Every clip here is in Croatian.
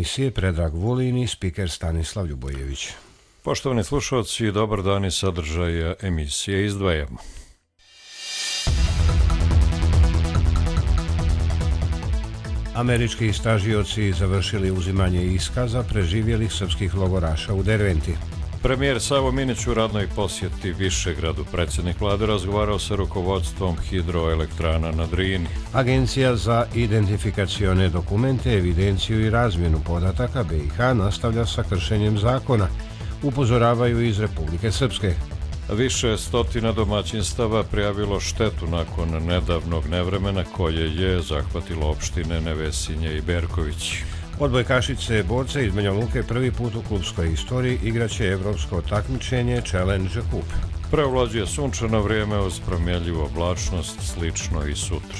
emisije Predrag Vulin i spiker Stanislav Ljubojević. Poštovani slušalci, dobar dan i sadržaja emisije izdvajamo. Američki istražioci završili uzimanje iskaza preživjelih srpskih logoraša u Derventi. Premijer Savo Minić u radnoj posjeti Višegradu. Predsjednik vlade razgovarao sa rukovodstvom hidroelektrana na Drini. Agencija za identifikacione dokumente, evidenciju i razmjenu podataka BiH nastavlja sa kršenjem zakona, upozoravaju iz Republike Srpske. Više stotina domaćinstava prijavilo štetu nakon nedavnog nevremena koje je zahvatilo opštine Nevesinje i Berković. Odbojkašice borce iz Banja Luke prvi put u klubskoj istoriji igraće evropsko takmičenje Challenge Cup. Preovlađuje sunčano vrijeme uz promjenljivu oblačnost, slično i sutra.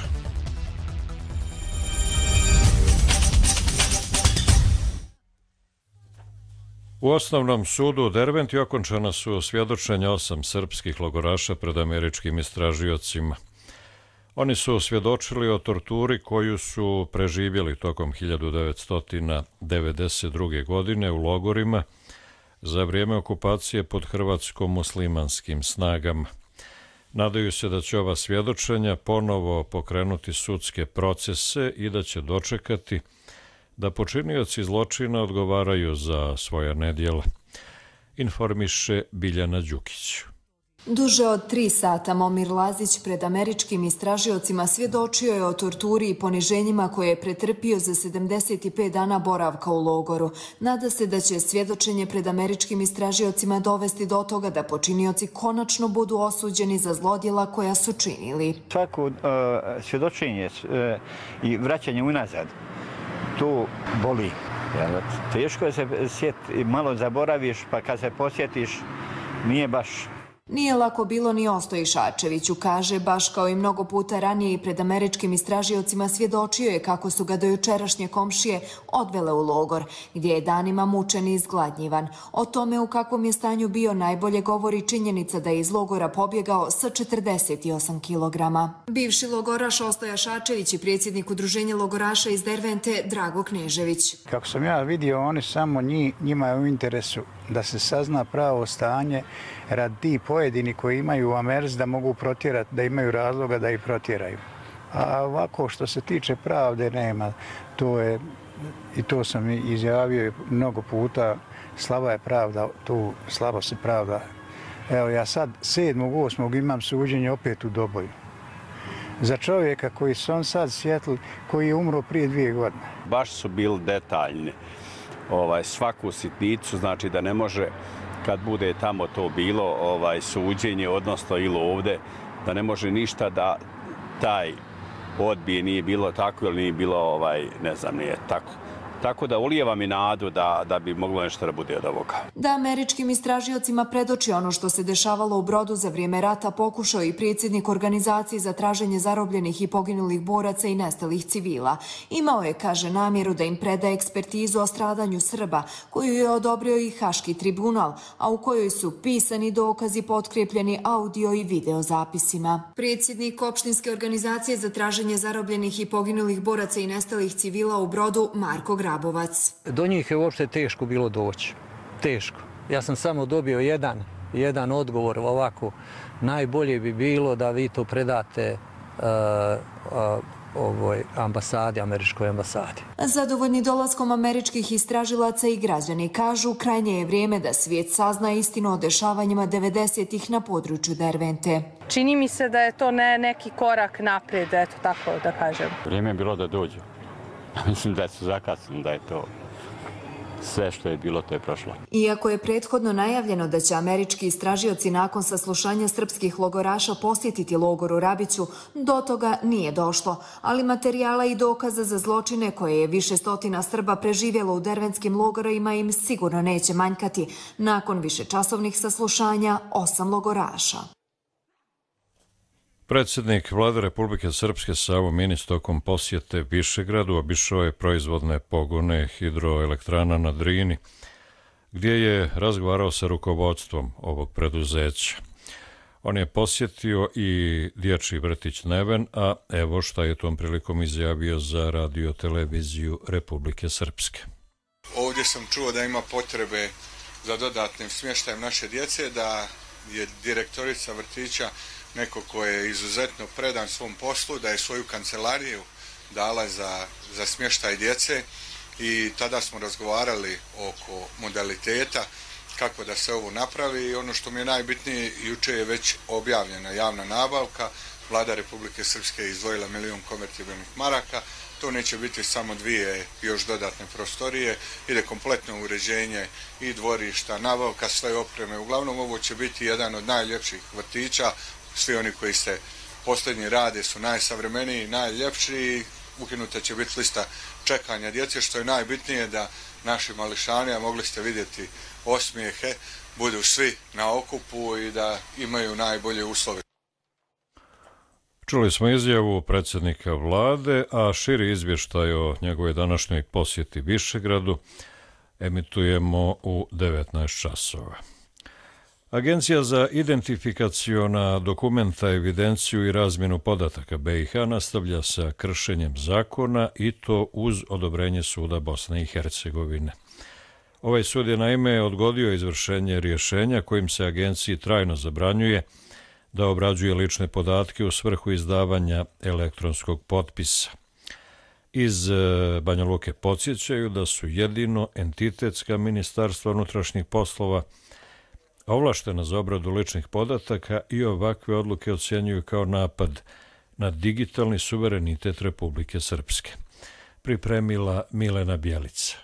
U osnovnom sudu u Derventi okončana su svjedočenja 8 srpskih logoraša pred američkim istražiocima. Oni su svjedočili o torturi koju su preživjeli tokom 1992. godine u logorima za vrijeme okupacije pod hrvatsko-muslimanskim snagama. Nadaju se da će ova svjedočenja ponovo pokrenuti sudske procese i da će dočekati da počinioci zločina odgovaraju za svoja nedjela, informiše Biljana Đukić. Duže od 3 sata Momir Lazić pred američkim istražiocima svjedočio je o torturi i poniženjima koje je pretrpio za 75 dana boravka u logoru. Nada se da će svjedočenje pred američkim istražiocima dovesti do toga da počinioci konačno budu osuđeni za zlodjela koja su činili. Svako svjedočenje i vraćanje unazad, to boli. Teško je se sjetiti, malo zaboraviš, pa kad se posjetiš, nije baš. Nije lako bilo ni Ostoji Šačeviću, kaže, baš kao i mnogo puta ranije i pred američkim istražiocima svjedočio je kako su ga dojučerašnje komšije odvele u logor, gdje je danima mučen i izgladnjivan. O tome u kakvom je stanju bio najbolje govori činjenica da je iz logora pobjegao sa 48 kilograma. Bivši logoraš Ostoja Šačević i predsjednik udruženja logoraša iz Dervente Drago Knežević. Kako sam ja vidio, oni samo njima je u interesu da se sazna pravo stanje radi ti pojedini koji imaju Amers da mogu protjerati, da imaju razloga da ih protjeraju. A ovako što se tiče pravde nema, to je, i to sam izjavio mnogo puta, slaba je pravda, tu slabo se pravda. Evo ja sad 7.8. imam suđenje opet u Doboju. Za čovjeka koji su on sad sjetli, koji je umro prije 2 godine. Baš su bili detaljni. Svaku sitnicu, znači da ne može, kad bude tamo to bilo suđenje, odnosno ili ovdje, da ne može ništa da taj odbije, nije bilo tako ili nije bilo, ne znam, nije tako. Tako da ulijeva mi nadu da bi moglo nešto da bude od ovoga. Da američkim istražiocima predoči ono što se dešavalo u Brodu za vrijeme rata pokušao i predsjednik organizacije za traženje zarobljenih i poginulih boraca i nestalih civila. Imao je, kaže, namjeru da im preda ekspertizu o stradanju Srba, koju je odobrio i Haški tribunal, a u kojoj su pisani dokazi potkrepljeni audio i video zapisima. Predsjednik opštinske organizacije za traženje zarobljenih i poginulih boraca i nestalih civila u Brodu, Marko Grabovac. Do njih je uopšte teško bilo doći. Teško. Ja sam samo dobio jedan odgovor ovako. Najbolje bi bilo da vi to predate ambasadi, američkoj ambasadi. Zadovoljni dolaskom američkih istražilaca i građani kažu krajnje je vrijeme da svijet sazna istinu o dešavanjima 90-ih na području Dervente. Čini mi se da je to neki korak naprijed, eto tako da kažem. Vrijeme je bilo da dođu. Mislim da su zakasnili, da je to sve što je bilo, to je prošlo. Iako je prethodno najavljeno da će američki istražioci nakon saslušanja srpskih logoraša posjetiti logor u Rabiću, do toga nije došlo, ali materijala i dokaza za zločine koje je više stotina Srba preživjelo u derventskim logorima im sigurno neće manjkati nakon višečasovnih saslušanja 8 logoraša. Predsjednik vlade Republike Srpske Savo Minić tokom posjete Višegradu obišao je proizvodne pogone hidroelektrana na Drini, gdje je razgovarao sa rukovodstvom ovog preduzeća. On je posjetio i dječji vrtić Neven, a evo šta je tom prilikom izjavio za radio televiziju Republike Srpske. ovdje sam čuo da ima potrebe za dodatnim smještajem naše djece, da je direktorica vrtića neko ko je izuzetno predan svom poslu, da je svoju kancelariju dala za smještaj djece i tada smo razgovarali oko modaliteta kako da se ovo napravi i ono što mi je najbitnije, jučer je već objavljena javna nabavka, Vlada Republike Srpske je izdvojila 1 milijun konvertibilnih maraka, to neće biti samo 2 još dodatne prostorije, ide kompletno uređenje i dvorišta, nabavka sve opreme, uglavnom ovo će biti jedan od najljepših vrtića, svi oni koji se posljednji rade su najsavremeniji, najljepši i ukinuta će biti lista čekanja djece, što je najbitnije da naši mališani, a mogli ste vidjeti osmijehe, budu svi na okupu i da imaju najbolje uslove. Čuli smo izjavu predsjednika vlade, a širi izvještaj o njegovoj današnjoj posjeti Višegradu emitujemo u 19 časova. Agencija za identifikaciona dokumenta, evidenciju i razmjenu podataka BiH nastavlja sa kršenjem zakona i to uz odobrenje suda Bosne i Hercegovine. Ovaj sud je naime odgodio izvršenje rješenja kojim se agenciji trajno zabranjuje da obrađuje lične podatke u svrhu izdavanja elektronskog potpisa. Iz Banja Luke podsjećaju da su jedino entitetska ministarstva unutrašnjih poslova ovlaštena za obradu ličnih podataka i ovakve odluke ocjenjuju kao napad na digitalni suverenitet Republike Srpske. Pripremila Milena Bjelica.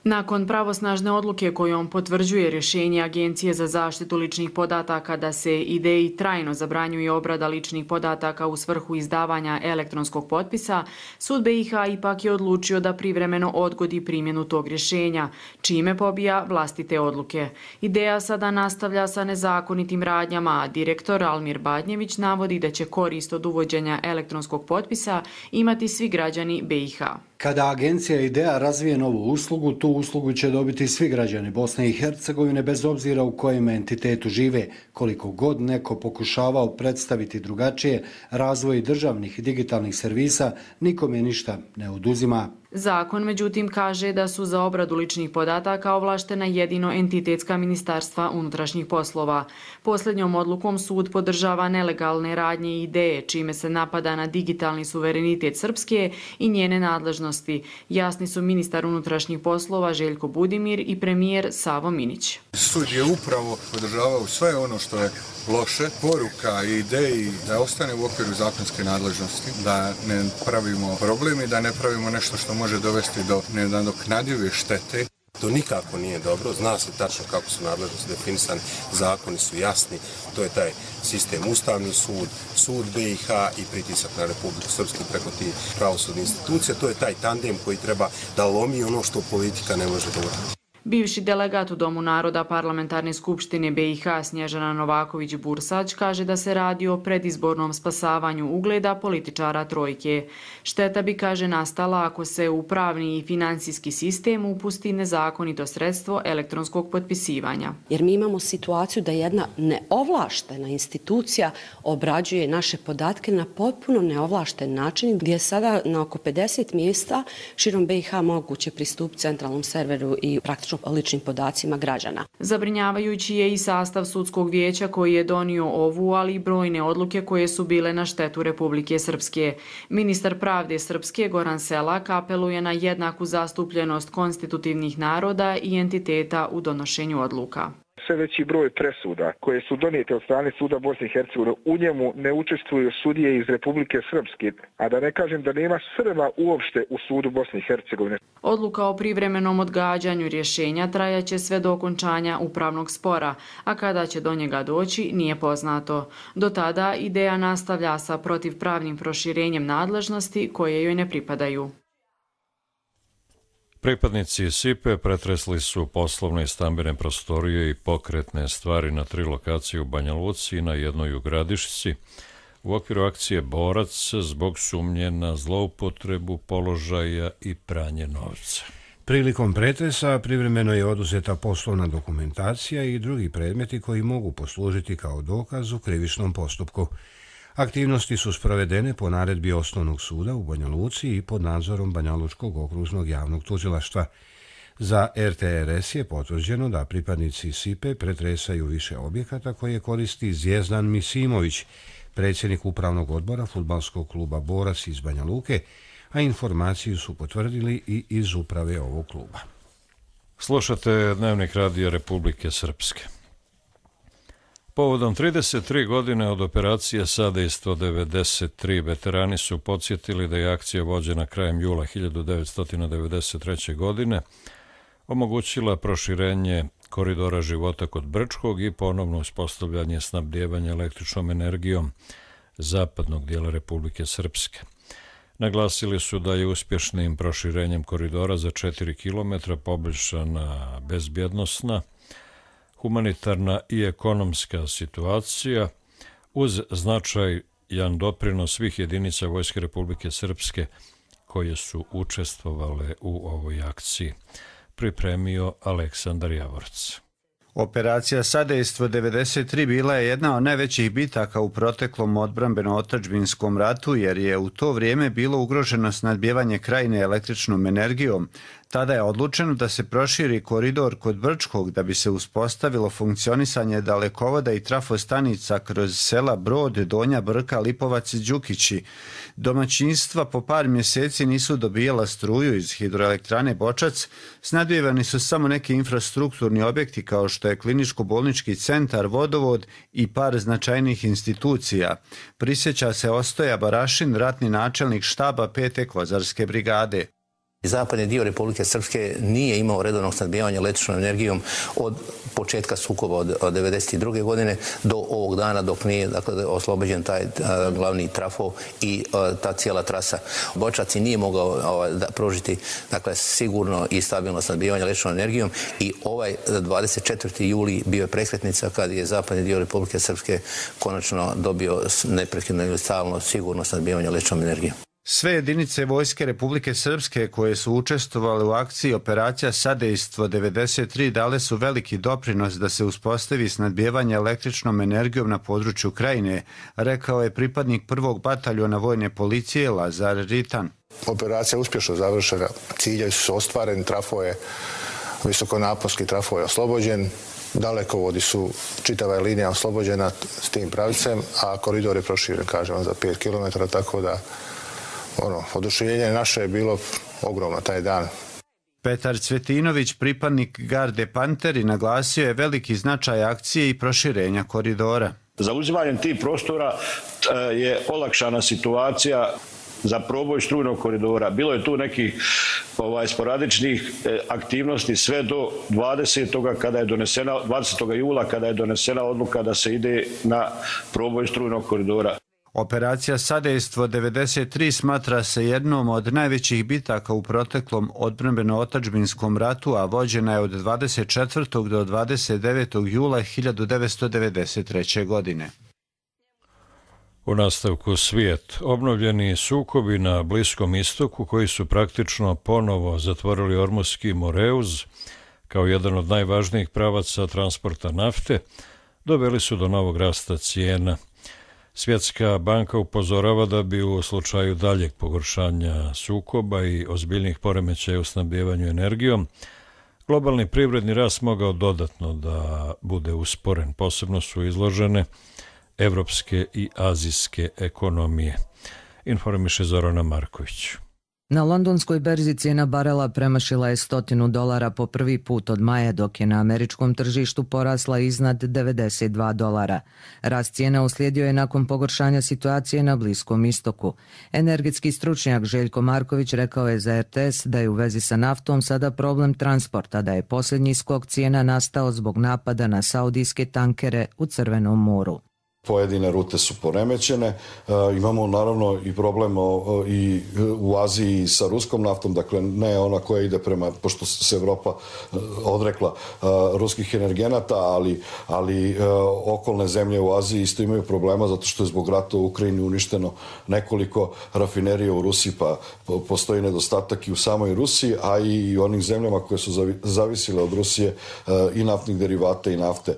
Nakon pravosnažne odluke kojom potvrđuje rješenje Agencije za zaštitu ličnih podataka da se ideji trajno zabranjuje obrada ličnih podataka u svrhu izdavanja elektronskog potpisa, sud BiH ipak je odlučio da privremeno odgodi primjenu tog rješenja, čime pobija vlastite odluke. Ideja sada nastavlja sa nezakonitim radnjama, a direktor Almir Badnjević navodi da će korist od uvođenja elektronskog potpisa imati svi građani BiH. Kada agencija IDEA razvije novu uslugu, tu uslugu će dobiti svi građani Bosne i Hercegovine bez obzira u kojem entitetu žive. Koliko god neko pokušavao predstaviti drugačije razvoj državnih i digitalnih servisa, nikome ništa ne oduzima. Zakon, međutim, kaže da su za obradu ličnih podataka ovlaštena jedino entitetska ministarstva unutrašnjih poslova. Posljednjom odlukom sud podržava nelegalne radnje i ideje, čime se napada na digitalni suverenitet Srpske i njene nadležnosti. Jasni su ministar unutrašnjih poslova Željko Budimir i premijer Savo Minić. Sud je upravo podržavao sve ono što je loše, poruka i ideji da ostane u okviru zakonske nadležnosti, da ne pravimo problem i da ne pravimo nešto što može dovesti do nenadoknadive štete. To nikako nije dobro, zna se tačno kako su nadležnosti definisani, zakoni su jasni, to je taj sistem Ustavni sud, sud BiH i pritisak na Republiku Srpsku preko tih pravosudnih institucija, to je taj tandem koji treba da lomi ono što politika ne može da uradi. Bivši delegat u Domu naroda Parlamentarne skupštine BiH Snježana Novaković-Bursać kaže da se radi o predizbornom spasavanju ugleda političara trojke. Šteta bi, kaže, nastala ako se u pravni i financijski sistem upusti nezakonito sredstvo elektronskog potpisivanja. Jer mi imamo situaciju da jedna neovlaštena institucija obrađuje naše podatke na potpuno neovlašten način, gdje je sada na oko 50 mjesta širom BiH moguće pristupiti centralnom serveru i praktično ličnim podacima građana. Zabrinjavajući je i sastav sudskog vijeća koji je donio ovu, ali i brojne odluke koje su bile na štetu Republike Srpske. Ministar pravde Srpske Goran Selak apeluje na jednaku zastupljenost konstitutivnih naroda i entiteta u donošenju odluka. Sve veći broj presuda koje su donijete od strane suda Bosne i Hercegovine, u njemu ne učestvuju sudije iz Republike Srpske, a da ne kažem da nema Srba uopšte u sudu Bosne i Hercegovine. Odluka o privremenom odgađanju rješenja trajaće sve do okončanja upravnog spora, a kada će do njega doći nije poznato. Do tada ideja nastavlja sa protivpravnim proširenjem nadležnosti koje joj ne pripadaju. Pripadnici SIPE pretresli su poslovne i stambene prostorije i pokretne stvari na 3 lokacije u Banja Luci i na jednoj u Gradišci u okviru akcije Borac zbog sumnje na zloupotrebu položaja i pranje novca. Prilikom pretresa privremeno je oduzeta poslovna dokumentacija i drugi predmeti koji mogu poslužiti kao dokaz u krivičnom postupku. Aktivnosti su sprovedene po naredbi Osnovnog suda u Banja Luci i pod nadzorom Banjalučkog okružnog javnog tužilaštva. Za RTRS je potvrđeno da pripadnici SIPE pretresaju više objekata koje koristi Zvjezdan Misimović, predsjednik upravnog odbora fudbalskog kluba Borac iz Banja Luke, a informaciju su potvrdili i iz uprave ovog kluba. Slušate Dnevnik radija Republike Srpske. Povodom 33 godine od operacije Sadejstvo 93 veterani su podsjetili da je akcija vođena krajem jula 1993. godine omogućila proširenje koridora života kod Brčkog i ponovno uspostavljanje snabdijevanja električnom energijom zapadnog dijela Republike Srpske. Naglasili su da je uspješnim proširenjem koridora za 4 km poboljšana bezbjednosna, humanitarna i ekonomska situacija uz značajan doprinos svih jedinica Vojske Republike Srpske koje su učestvovale u ovoj akciji. Pripremio Aleksandar Javorc. Operacija Sadejstvo 93 bila je jedna od najvećih bitaka u proteklom odbrambeno-otadžbinskom ratu jer je u to vrijeme bilo ugroženo snabdijevanje krajine električnom energijom. Tada je odlučeno da se proširi koridor kod Brčkog da bi se uspostavilo funkcionisanje dalekovoda i trafostanica kroz sela Brod, Donja Brka, Lipovac i Đukići. Domaćinstva po par mjeseci nisu dobijala struju iz hidroelektrane Bočac, snabdijevani su samo neki infrastrukturni objekti kao što je kliničko-bolnički centar, vodovod i par značajnih institucija. Prisjeća se Ostoja Barašin, ratni načelnik štaba 5. Kozarske brigade. Zapadni dio Republike Srpske nije imao redovnog snabdijevanja električnom energijom od početka sukoba od 1992. godine do ovog dana dok nije oslobođen taj glavni trafo i ta cijela trasa. Bočac nije mogao pružiti sigurno i stabilno snabdijevanje električnom energijom i ovaj 24. juli bio je prekretnica kad je zapadni dio Republike Srpske konačno dobio neprekidno ili stalno sigurno snabdijevanje električnom energijom. Sve jedinice Vojske Republike Srpske koje su učestvovale u akciji Operacija Sadejstvo 93 dale su veliki doprinos da se uspostavi snabdijevanje električnom energijom na području krajine, rekao je pripadnik 1. bataljona vojne policije Lazar Ritan. Operacija je uspješno završena, ciljevi su ostvareni, trafo je, visokonaponski trafo je oslobođen, dalekovodi su, čitava je linija oslobođena s tim pravicem, a koridor je proširen, kažem, za 5 km, tako da oduševljenje naše je bilo ogromno taj dan. Petar Cvetinović, pripadnik Garde Panteri, naglasio je veliki značaj akcije i proširenja koridora. Zauzimanjem tih prostora je olakšana situacija za proboj strujnog koridora. Bilo je tu nekih sporadičnih aktivnosti sve do 20. jula kada je donesena odluka da se ide na proboj strujnog koridora. Operacija Sadejstvo 93 smatra se jednom od najvećih bitaka u proteklom odbrambeno-otadžbinskom ratu, a vođena je od 24. do 29. jula 1993. godine. U nastavku svijet. Obnovljeni sukobi na Bliskom istoku koji su praktično ponovo zatvorili Ormuski Moreuz kao jedan od najvažnijih pravaca transporta nafte, doveli su do novog rasta cijena. Svjetska banka upozorava da bi u slučaju daljeg pogoršanja sukoba i ozbiljnih poremećaja u snabdijevanju energijom, globalni privredni rast mogao dodatno da bude usporen. Posebno su izložene evropske i azijske ekonomije. Informiše Zorana Marković. Na londonskoj berzi cijena barela premašila je $100 po prvi put od maja, dok je na američkom tržištu porasla iznad $92. Rast cijena uslijedio je nakon pogoršanja situacije na Bliskom istoku. Energetski stručnjak Željko Marković rekao je za RTS da je u vezi sa naftom sada problem transporta, da je posljednji skok cijena nastao zbog napada na saudijske tankere u Crvenom moru. Pojedine rute su poremećene, imamo naravno i problem i u Aziji sa ruskom naftom, dakle ne ona koja ide prema, pošto se Evropa odrekla ruskih energenata, ali okolne zemlje u Aziji isto imaju problema zato što je zbog rata u Ukrajini uništeno nekoliko rafinerija u Rusiji, pa postoji nedostatak i u samoj Rusiji, a i onim zemljama koje su zavisile od Rusije i naftnih derivata i nafte.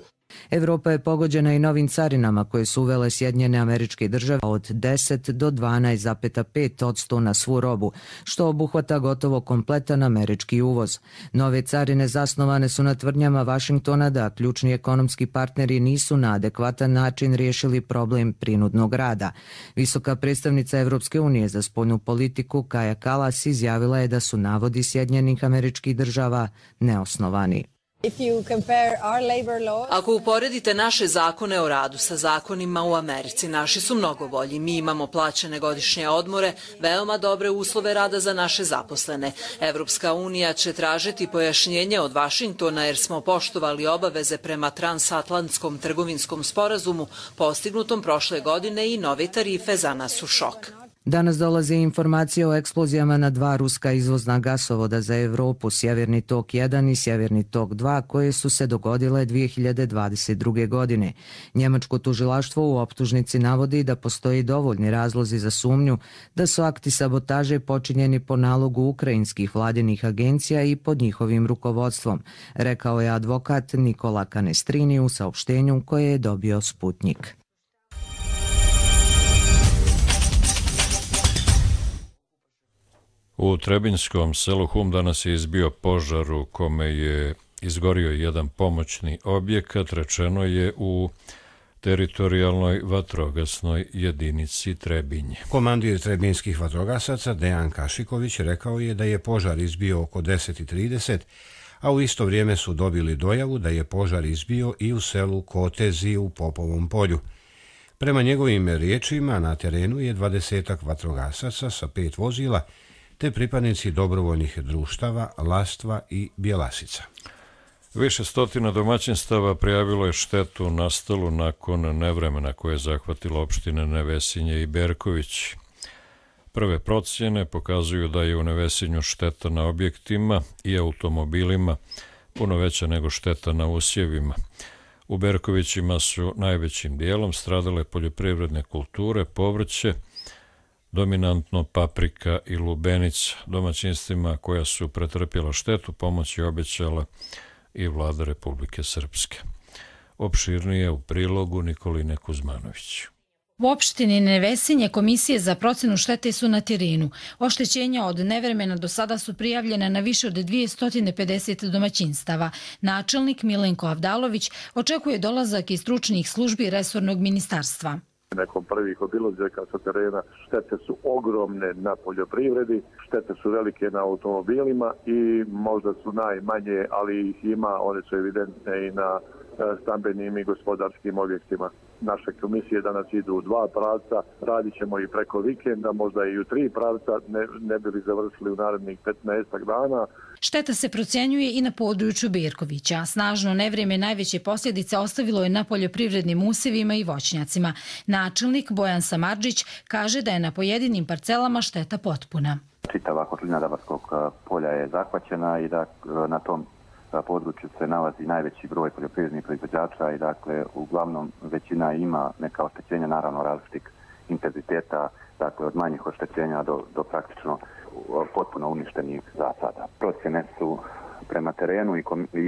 Evropa je pogođena i novim carinama koje su uvele Sjedinjene Američke Države od 10 do 12,5% na svu robu, što obuhvata gotovo kompletan američki uvoz. Nove carine zasnovane su na tvrdnjama Vašingtona da ključni ekonomski partneri nisu na adekvatan način riješili problem prinudnog rada. Visoka predstavnica Evropske unije za spoljnu politiku Kaja Kallas izjavila je da su navodi Sjedinjenih Američkih Država neosnovani. Ako uporedite naše zakone o radu sa zakonima u Americi, naši su mnogo bolji. Mi imamo plaćene godišnje odmore, veoma dobre uslove rada za naše zaposlene. Evropska unija će tražiti pojašnjenje od Vašingtona jer smo poštovali obaveze prema transatlantskom trgovinskom sporazumu postignutom prošle godine i nove tarife za nas su šok. Danas dolaze informacije o eksplozijama na 2 ruska izvozna gasovoda za Evropu, Sjeverni tok 1 i Sjeverni tok 2, koje su se dogodile 2022. godine. Njemačko tužilaštvo u optužnici navodi da postoji dovoljni razlozi za sumnju da su akti sabotaže počinjeni po nalogu ukrajinskih vladinih agencija i pod njihovim rukovodstvom, rekao je advokat Nikola Canestrini u saopštenju koje je dobio Sputnik. U Trebinjskom selu Hum danas je izbio požar u kome je izgorio jedan pomoćni objekat, rečeno je u teritorijalnoj vatrogasnoj jedinici Trebinje. Komandir trebinjskih vatrogasaca Dejan Kašiković rekao je da je požar izbio oko 10:30, a u isto vrijeme su dobili dojavu da je požar izbio i u selu Kotezi u Popovom polju. Prema njegovim riječima na terenu je 20-ak vatrogasaca sa 5 vozila, te pripadnici dobrovoljnih društava Lastva i Bjelasica. Više stotina domaćinstava prijavilo je štetu nastalu nakon nevremena koje je zahvatilo opštine Nevesinje i Berković. Prve procjene pokazuju da je u Nevesinju šteta na objektima i automobilima puno veća nego šteta na usjevima. U Berkovićima su najvećim dijelom stradale poljoprivredne kulture, povrće, dominantno paprika i lubenica. Domaćinstvima koja su pretrpjela štetu pomoć je obećala i vlada Republike Srpske. Opširnije u prilogu Nikoline Kuzmanović. U opštini Nevesinje komisije za procenu štete su na terenu. Oštećenja od nevremena do sada su prijavljena na više od 250 domaćinstava. Načelnik Milenko Avdalović očekuje dolazak iz stručnih službi resornog ministarstva. Nekom prvih obilazaka sa terena štete su ogromne na poljoprivredi, štete su velike na automobilima i možda su najmanje, ali ih ima, one su evidentne i na stambenim i gospodarskim objektima. Naše komisije danas idu u 2 pravca, radit ćemo i preko vikenda, možda i u 3 pravca, ne bi li završili u narednih 15 dana. Šteta se procjenjuje i na području Berkovića. Snažno nevrijeme najveće posljedice ostavilo je na poljoprivrednim usjevima i voćnjacima. Načelnik Bojan Samardžić kaže da je na pojedinim parcelama šteta potpuna. Čitava kotlina Dabarskog polja je zahvaćena i da na tom području se nalazi najveći broj poljoprivrednih proizvođača i dakle uglavnom većina ima neka oštećenja, naravno različitih intenziteta, dakle od manjih oštećenja do praktično potpuno uništenih zasada. Procjene su prema terenu i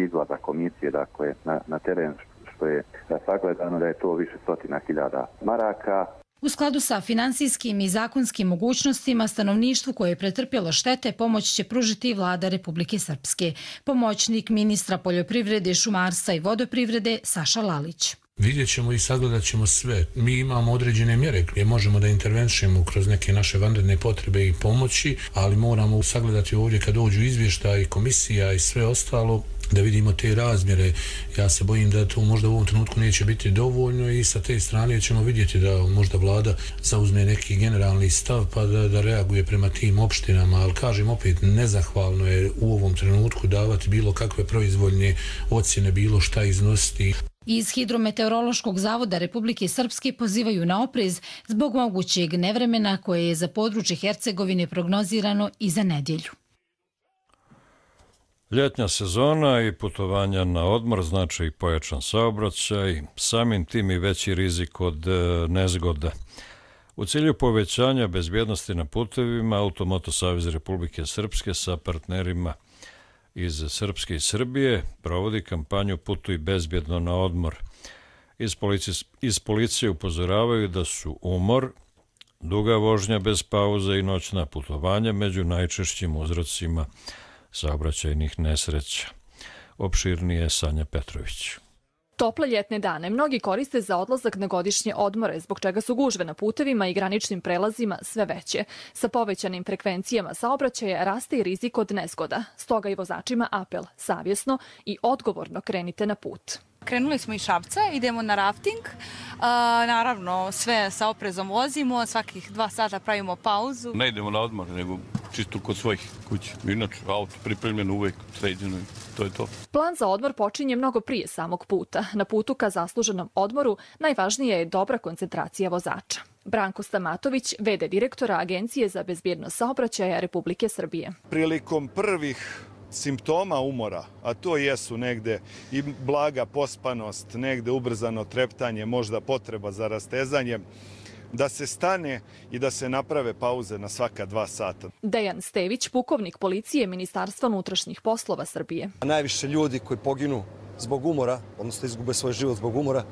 izlaza komisije, dakle na teren što je sagledano da je to više stotina hiljada maraka. U skladu sa finansijskim i zakonskim mogućnostima stanovništvu koje je pretrpjelo štete pomoć će pružiti vlada Republike Srpske. Pomoćnik ministra poljoprivrede, šumarstva i vodoprivrede Saša Lalić. Vidjet ćemo i sagledat ćemo sve. Mi imamo određene mjere gdje možemo da intervenšemo kroz neke naše vanredne potrebe i pomoći, ali moramo sagledati ovdje kad dođu izvještaji, komisija i sve ostalo, da vidimo te razmjere. Ja se bojim da to možda u ovom trenutku neće biti dovoljno i sa te strane ćemo vidjeti da možda vlada zauzme neki generalni stav pa da reaguje prema tim opštinama, ali kažem opet, nezahvalno je u ovom trenutku davati bilo kakve proizvoljne ocjene, bilo šta iznositi. Iz Hidrometeorološkog zavoda Republike Srpske pozivaju na oprez zbog mogućeg nevremena koje je za područje Hercegovine prognozirano i za nedjelju. Ljetnja sezona i putovanja na odmor znači i pojačan saobraćaj, samim tim i veći rizik od nezgoda. U cilju povećanja bezbjednosti na putevima, Automoto Savez Republike Srpske sa partnerima iz Srpske i Srbije provodi kampanju Putuj bezbjedno na odmor. Iz policije upozoravaju da su umor, duga vožnja bez pauze i noćna putovanja među najčešćim uzrocima saobraćajnih nesreća. Opširnije Sanja Petrović. Tople ljetne dane mnogi koriste za odlazak na godišnje odmore, zbog čega su gužve na putevima i graničnim prelazima sve veće. Sa povećanim frekvencijama saobraćaja raste i rizik od nezgoda. Stoga i vozačima apel, savjesno i odgovorno krenite na put. Krenuli smo iz Šapca, idemo na rafting. Naravno, sve sa oprezom vozimo, svakih 2 sata pravimo pauzu. Ne idemo na odmor, nego čisto kod svojih kuća. Inače, auto pripremljeno uvek, sređeno, to je to. Plan za odmor počinje mnogo prije samog puta. Na putu ka zasluženom odmoru najvažnija je dobra koncentracija vozača. Branko Stamatović, v.d. direktora Agencije za bezbjednost saobraćaja Republike Srbije. Prilikom prvih simptoma umora, a to jesu negde i blaga pospanost, negde ubrzano treptanje, možda potreba za rastezanjem, da se stane i da se naprave pauze na svaka 2 sata. Dejan Stević, pukovnik policije Ministarstva unutrašnjih poslova Srbije. Najviše ljudi koji poginu zbog umora, odnosno izgube svoj život zbog umora,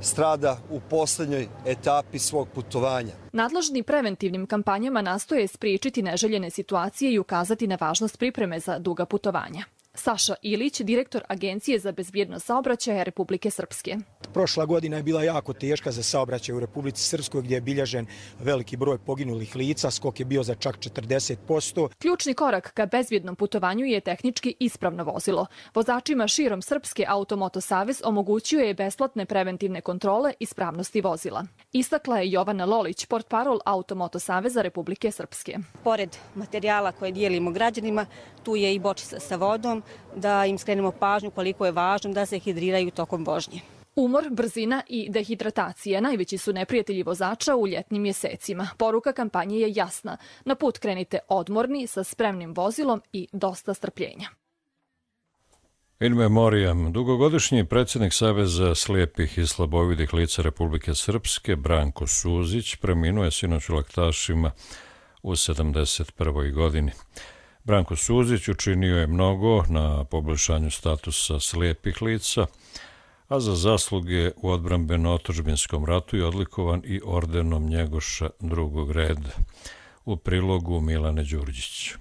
strada u poslednjoj etapi svog putovanja. Nadležni preventivnim kampanjama nastoje spriječiti neželjene situacije i ukazati na važnost pripreme za duga putovanja. Saša Ilić, direktor Agencije za bezbjednost saobraćaja Republike Srpske. Prošla godina je bila jako teška za saobraćaj u Republici Srpskoj, gdje je bilježen veliki broj poginulih lica, skok je bio za čak 40%. Ključni korak ka bezbjednom putovanju je tehnički ispravno vozilo. Vozačima širom Srpske Automoto Savez omogućio je besplatne preventivne kontrole ispravnosti vozila. Istakla je Jovana Lolić, portparol Automoto Saveza Republike Srpske. Pored materijala koje dijelimo građanima, tu je i bočica sa vodom, da im skrenemo pažnju koliko je važno da se hidriraju tokom vožnje. Umor, brzina i dehidratacija najveći su neprijatelji vozača u ljetnim mjesecima. Poruka kampanje je jasna. Na put krenite odmorni, sa spremnim vozilom i dosta strpljenja. In memoriam, dugogodišnji predsjednik Saveza slijepih i slabovidih lica Republike Srpske, Branko Suzić, preminuo je sinoć u Laktašima u 71. godini. Branko Suzić učinio je mnogo na poboljšanju statusa slijepih lica, a za zasluge u odbrambeno-otadžbinskom ratu je odlikovan i ordenom Njegoša drugog reda. U prilogu Milane Đurđić.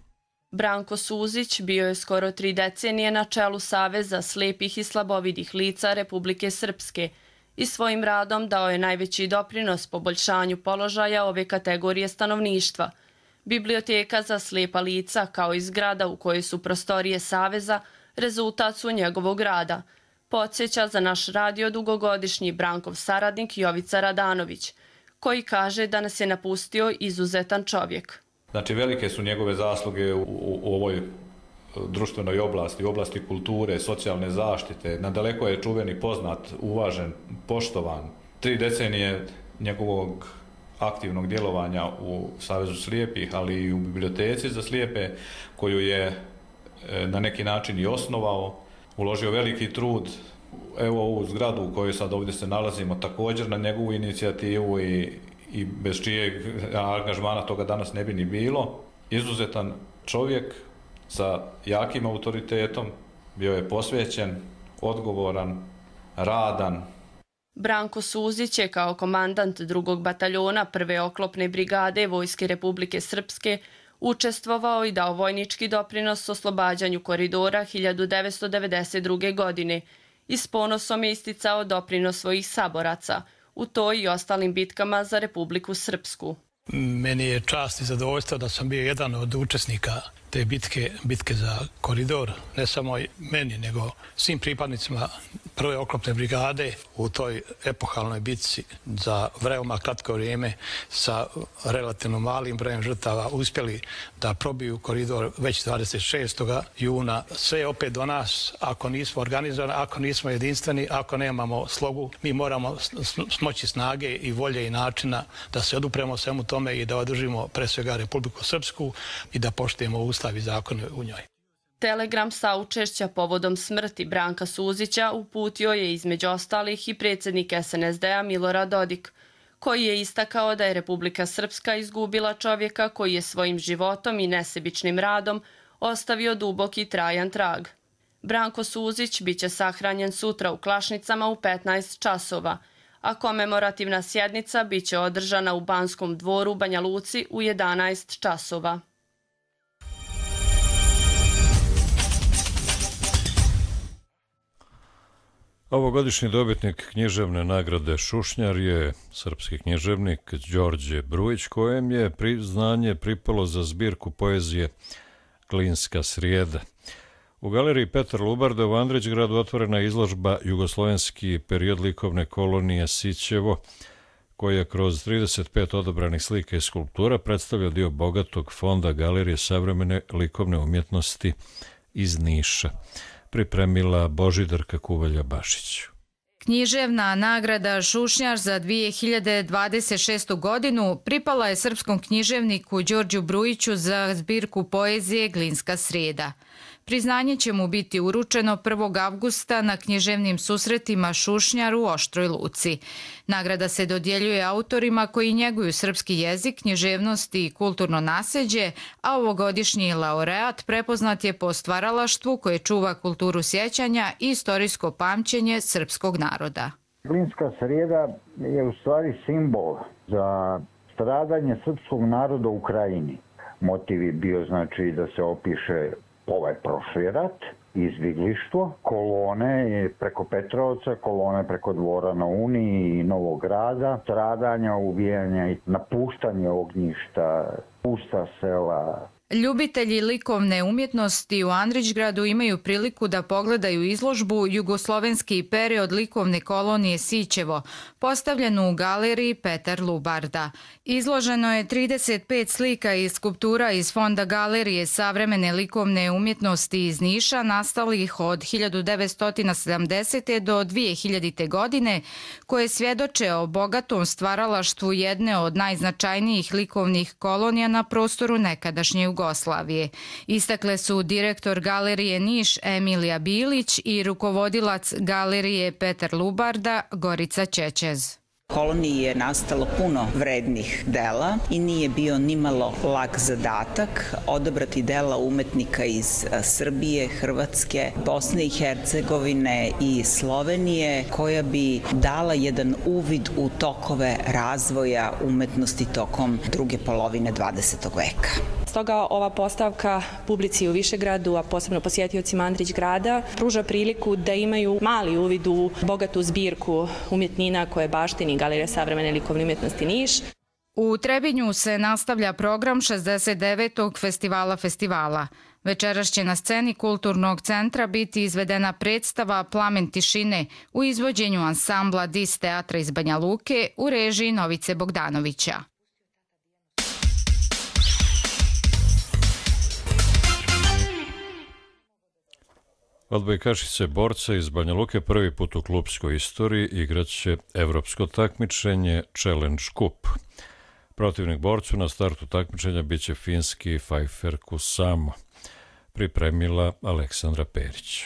Branko Suzić bio je skoro 3 decenije na čelu Saveza slijepih i slabovidih lica Republike Srpske i svojim radom dao je najveći doprinos poboljšanju položaja ove kategorije stanovništva. Biblioteka za slijepa lica, kao i zgrada u kojoj su prostorije Saveza, rezultat su njegovog rada. Podsjeća za naš radio dugogodišnji Brankov saradnik Jovica Radanović, koji kaže da nas je napustio izuzetan čovjek. Znači, velike su njegove zasluge u ovoj društvenoj oblasti, u oblasti kulture, socijalne zaštite. Nadaleko je čuven i poznat, uvažen, poštovan. 3 decenije njegovog aktivnog djelovanja u Savezu slijepih, ali i u biblioteci za slijepe, koju je na neki način i osnovao, uložio veliki trud. Evo ovu zgradu u kojoj sad ovdje se nalazimo, također na njegovu inicijativu i bez čijeg angažmana toga danas ne bi ni bilo. Izuzetan čovjek sa jakim autoritetom, bio je posvećen, odgovoran, radan. Branko Suzić je kao komandant 2. bataljona 1. oklopne brigade Vojske Republike Srpske učestvovao i dao vojnički doprinos oslobađanju koridora 1992. godine i s ponosom je isticao doprinos svojih saboraca u toj i ostalim bitkama za Republiku Srpsku. Meni je čast i zadovoljstvo da sam bio jedan od učesnika te bitke za koridor, ne samo meni, nego svim pripadnicima 1. oklopne brigade u toj epohalnoj bitci za veoma kratko vrijeme sa relativno malim brojem žrtava uspjeli da probiju koridor već 26. juna. Sve je opet do nas, ako nismo organizovani, ako nismo jedinstveni, ako nemamo slogu, mi moramo smoći snage i volje i načina da se odupremo svemu tome i da održimo pre svega Republiku Srpsku i da poštujemo Ustav i zakone u njoj. Telegram saučešća povodom smrti Branka Suzića uputio je između ostalih i predsjednik SNSD-a Milorad Dodik, koji je istakao da je Republika Srpska izgubila čovjeka koji je svojim životom i nesebičnim radom ostavio dubok i trajan trag. Branko Suzić biće sahranjen sutra u Klašnicama u 15 časova, a komemorativna sjednica biće održana u Banskom dvoru u Banja Luci u 11 časova. Ovogodišnji dobitnik književne nagrade Šušnjar je srpski književnik Đorđe Brujić, kojem je priznanje pripalo za zbirku poezije Glinska srijeda. U galeriji Petar Lubarda u Andrićgradu otvorena je izložba Jugoslovenski period likovne kolonije Sićevo, koja kroz 35 odabranih slika i skulptura predstavlja dio bogatog fonda Galerije savremene likovne umjetnosti iz Niša. Pripremila Božidarka Kuvalja-Bašić. Književna nagrada Šušnjar za 2026. godinu pripala je srpskom književniku Đorđu Brujiću za zbirku poezije Glinska srijeda. Priznanje će mu biti uručeno 1. avgusta na književnim susretima Šušnjar u Oštroj Luci. Nagrada se dodjeljuje autorima koji njeguju srpski jezik, književnost i kulturno nasljeđe, a ovogodišnji laureat prepoznat je po stvaralaštvu koje čuva kulturu sjećanja i istorijsko pamćenje srpskog naroda. Glinska srijeda je u stvari simbol za stradanje srpskog naroda u Ukrajini. Motiv je bio znači da se opiše ovaj prošli rat, izbjeglištvo, kolone preko Petrovca, kolone preko Dvora na Uniji i Novog Grada, stradanja, ubijanja i napuštanje ognjišta, pusta sela. Ljubitelji likovne umjetnosti u Andrićgradu imaju priliku da pogledaju izložbu Jugoslovenski period likovne kolonije Sićevo, postavljenu u galeriji Petar Lubarda. Izloženo je 35 slika i skulptura iz fonda Galerije savremene likovne umjetnosti iz Niša, nastalih od 1970. do 2000. godine, koje svjedoče o bogatom stvaralaštvu jedne od najznačajnijih likovnih kolonija na prostoru nekadašnje Jugoslavije. Istakle su direktor Galerije Niš Emilija Bilić i rukovodilac Galerije Petar Lubarda Gorica Čečez. Koloniji je nastalo puno vrednih dela i nije bio nimalo lak zadatak odabrati dela umetnika iz Srbije, Hrvatske, Bosne i Hercegovine i Slovenije, koja bi dala jedan uvid u tokove razvoja umetnosti tokom druge polovine 20. veka. Stoga ova postavka publici u Višegradu, a posebno posjetiocima Andrićgrada, pruža priliku da imaju mali uvid u bogatu zbirku umjetnina koje baštini Galerija savremene likovne umjetnosti Niš. U Trebinju se nastavlja program 69. festivala. Večeras će na sceni Kulturnog centra biti izvedena predstava Plamen tišine u izvođenju ansambla Dis teatra iz Banja Luke u režiji Novice Bogdanovića. Odbojkašice borca iz Banja Luke prvi put u klubskoj istoriji igraće evropsko takmičenje Challenge Cup. Protivnik borcu na startu takmičenja biće finski Fajfer Kusamo. Pripremila Aleksandra Perić.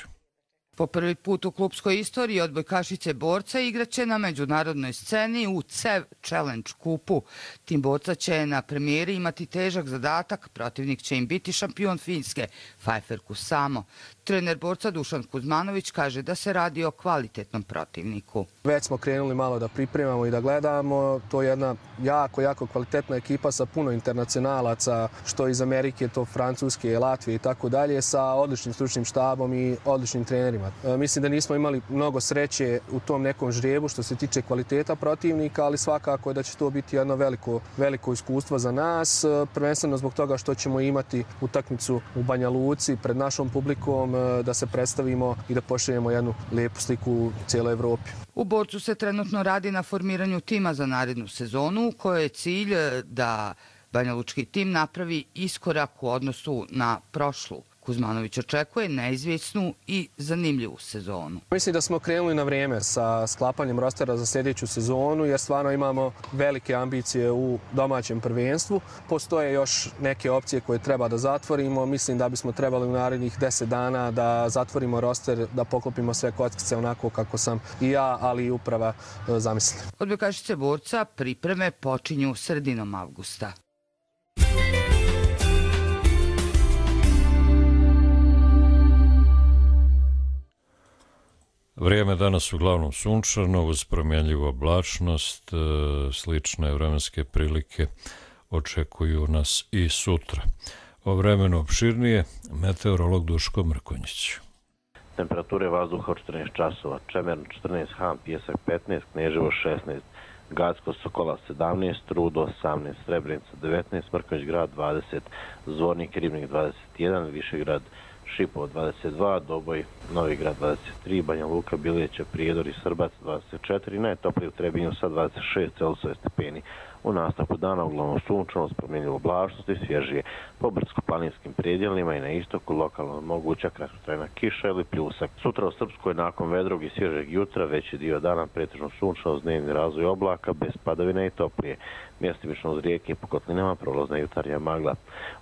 Po prvi put u klubskoj istoriji odbojkašice borca igraće na međunarodnoj sceni u CEV Challenge Cupu. Tim borca će na premijeri imati težak zadatak, protivnik će im biti šampion Finske, Fajfer Kusamo. Trener borca Dušan Kuzmanović kaže da se radi o kvalitetnom protivniku. Već smo krenuli malo da pripremamo i da gledamo. To je jedna jako kvalitetna ekipa sa puno internacionalaca, što iz Amerike, to Francuske, Latvije i tako dalje, sa odličnim stručnim štabom i odličnim trenerima. Mislim da nismo imali mnogo sreće u tom nekom žrebu što se tiče kvaliteta protivnika, ali svakako da će to biti jedno veliko iskustvo za nas, prvenstveno zbog toga što ćemo imati utakmicu u Banja Luci pred našom publikom, da se predstavimo i da pošaljemo jednu lijepu sliku u cijeloj Evropi. U borcu se trenutno radi na formiranju tima za narednu sezonu, u kojoj je cilj da banjalučki tim napravi iskorak u odnosu na prošlu. Kuzmanović očekuje neizvjesnu i zanimljivu sezonu. Mislim da smo krenuli na vrijeme sa sklapanjem rostera za sljedeću sezonu, jer stvarno imamo velike ambicije u domaćem prvenstvu. Postoje još neke opcije koje treba da zatvorimo. Mislim da bismo trebali u narednih 10 dana da zatvorimo roster, da poklopimo sve kockice onako kako sam i ja, ali i uprava zamislili. Odbojkašice borca pripreme počinju sredinom avgusta. Vrijeme danas uglavnom sunčano, uz promjenljivu oblačnost, slične vremenske prilike očekuju nas i sutra. O vremenu opširnije, meteorolog Duško Mrkonjić. Temperature vazduha od 14 časova, Čemern 14, Han, Pjesak 15, Kneževo 16, Gacko, Sokola 17, Rudo 18, Srebrenica 19, Mrkonjić grad 20, Zvornik, Ribnik 21, Višegrad, Šipovo 22, Doboj, Novi grad 23, Banja Luka, Biljeće, Prijedor i Srbac 24, najtoplije u Trebinju sa 26 Celzijusove stepeni. U nastavku dana uglavnom sunčano, s promjenljivom oblačnosti i svježije. Po brdsko-planinskim predjelima i na istoku lokalno moguća kratkotrajna kiša ili pljusak. Sutra u Srpskoj nakon vedrog i svježeg jutra veći dio dana pretežno sunčano uz dnevni razvoj oblaka bez padavine i toplije. Mjestimično uz rijeke i po kotlinama prolazna jutarnja magla.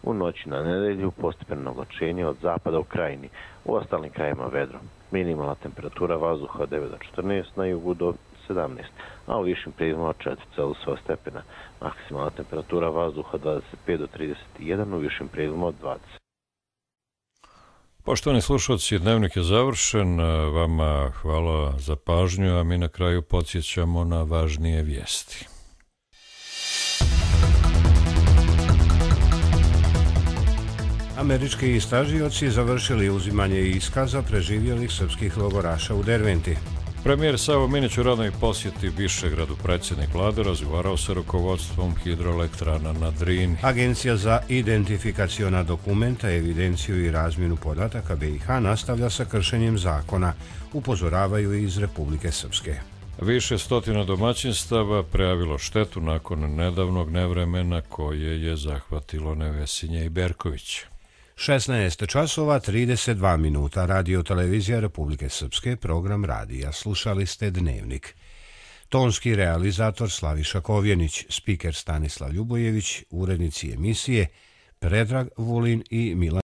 U noći na nedelju postepeno oblačenje od zapada u krajini. U ostalim krajima vedro. Minimalna temperatura vazduha od 9 do 14, na jugu do 17, a u višim predjelima od 4 Celzijusova stepena. Maksimalna temperatura vazduha 25 do 31, u višim predjelima od 20. Poštovani slušalci, dnevnik je završen. Vama hvala za pažnju, a mi na kraju podsjećamo na važnije vijesti. Američki istražioci završili uzimanje iskaza preživjelih srpskih logoraša u Derventi. Premijer Savo Minić u radnoj posjeti Višegradu, predsjednik vlade, razgovarao sa rukovodstvom hidroelektrana na Drini. Agencija za identifikaciona dokumenta, evidenciju i razmjenu podataka BiH nastavlja sa kršenjem zakona, upozoravaju iz Republike Srpske. Više stotina domaćinstava prijavilo štetu nakon nedavnog nevremena koje je zahvatilo Nevesinje i Berković. 16 časova 32 minuta, radio televizija Republike Srpske, program radija. Slušali ste Dnevnik. Tonski realizator Slaviša Kovjenić, spiker Stanislav Ljubojević, urednici emisije Predrag Vulin i Milan